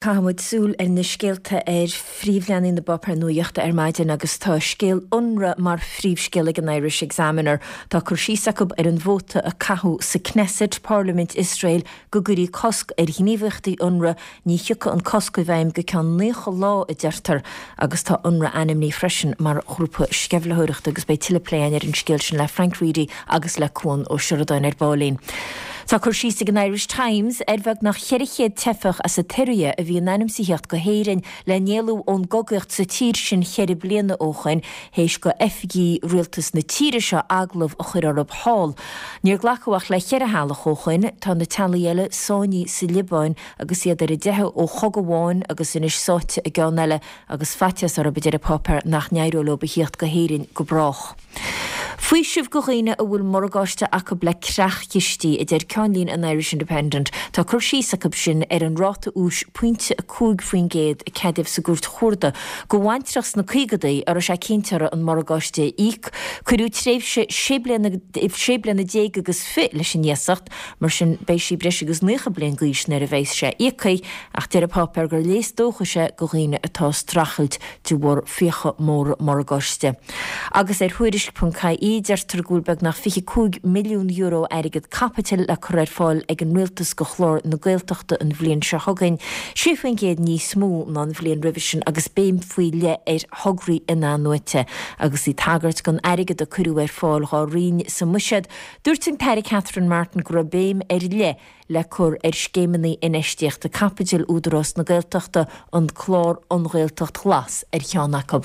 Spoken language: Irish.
Caithfidh muid súil ar na scéalta ar phríomhleathanaigh na bpáipéar nuachta ar maidin agus tá scéal Unrwa mar phríomhscéal ag an Irish Examiner. Tá cur síos acu ar an vóta a caitheadh sa Knesset, Parlaimint Iosrael, go gcuirí cosc ar ghníomhaíochtaí Unrwa. Ní thiocfaidh an cosc i bhfeidhm go ceann 90 lá, a deirtear, agus tá Unrwa ainmnithe freisin mar ghrúpa sceimhlitheoireachta agus beidh tuilleadh plé againn ar an scéal sin le Frank Reidy agus le Cuan Ó Seireadáin ar baillín. Tá cur síos ag an Irish Times ar bheagnach 400 teifeach as an tSiria a bhí in ainm is a theacht go hÉirinn le n-éalú ón gcogaíocht sa tír sin cheithre bliana ó shoin, théis go oifigí rialtas na tíre seo agallamh a chur orthu thall. Níor glacadh ach le cheithre theaghlach ó shoin. Tá na teaghlaigh eile sáinnithe sa Liobáin agus iad ar a dteitheadh ó chogadh amháin agus anois sáite i gceann eile agus faitíos orthu, a deir an páipéar, nach n-éireoidh leo a thíocht go hÉirinn go brách. Faoiseamh go dhaoine a bhfuil morgáiste acu le creach-chistí, a deir ceannlíne an Irish Independent. Tá cur síos acu sin ar an ráta úis pointe 5% a ceadaíodh sa gCúirt Chuarda go bhaintreach sna caogadaí a raibh sé cinnte orthu an morgáiste a íoc. Cuireadh tréimhse sé bliana déag agus fi leis an iasacht, mar sin beidh sí breis agus 90 bliain d'aois nuair a bheas sé íoctha, ach deir an páipéar gur léas dóchais é go dhaoine atá ag streachailt de bharr fiacha móra morgáiste. Agus ar Thuairisc.ie deirtear go bhfuil beagnach €25 milliún airgead caipitil le cur ar fáil ag an Rialtas go chlár na Gaeltachta an bhliain seo chugainn, 6% níos mó ná an bhliain roimhe sin agus béim faoi leith ar thograí in-athnuaite. Agus í ag tagairt don airgead a cuireadh ar fáil dhá roinn sa mBuiséad, dúirt an tAire Catherine Martin go raibh béim ar leith le cur ar scéimeanna infheistíochta caipitil Údarás na Gaeltachta, an clár An Ghaeltacht Ghlas ar cheann acu.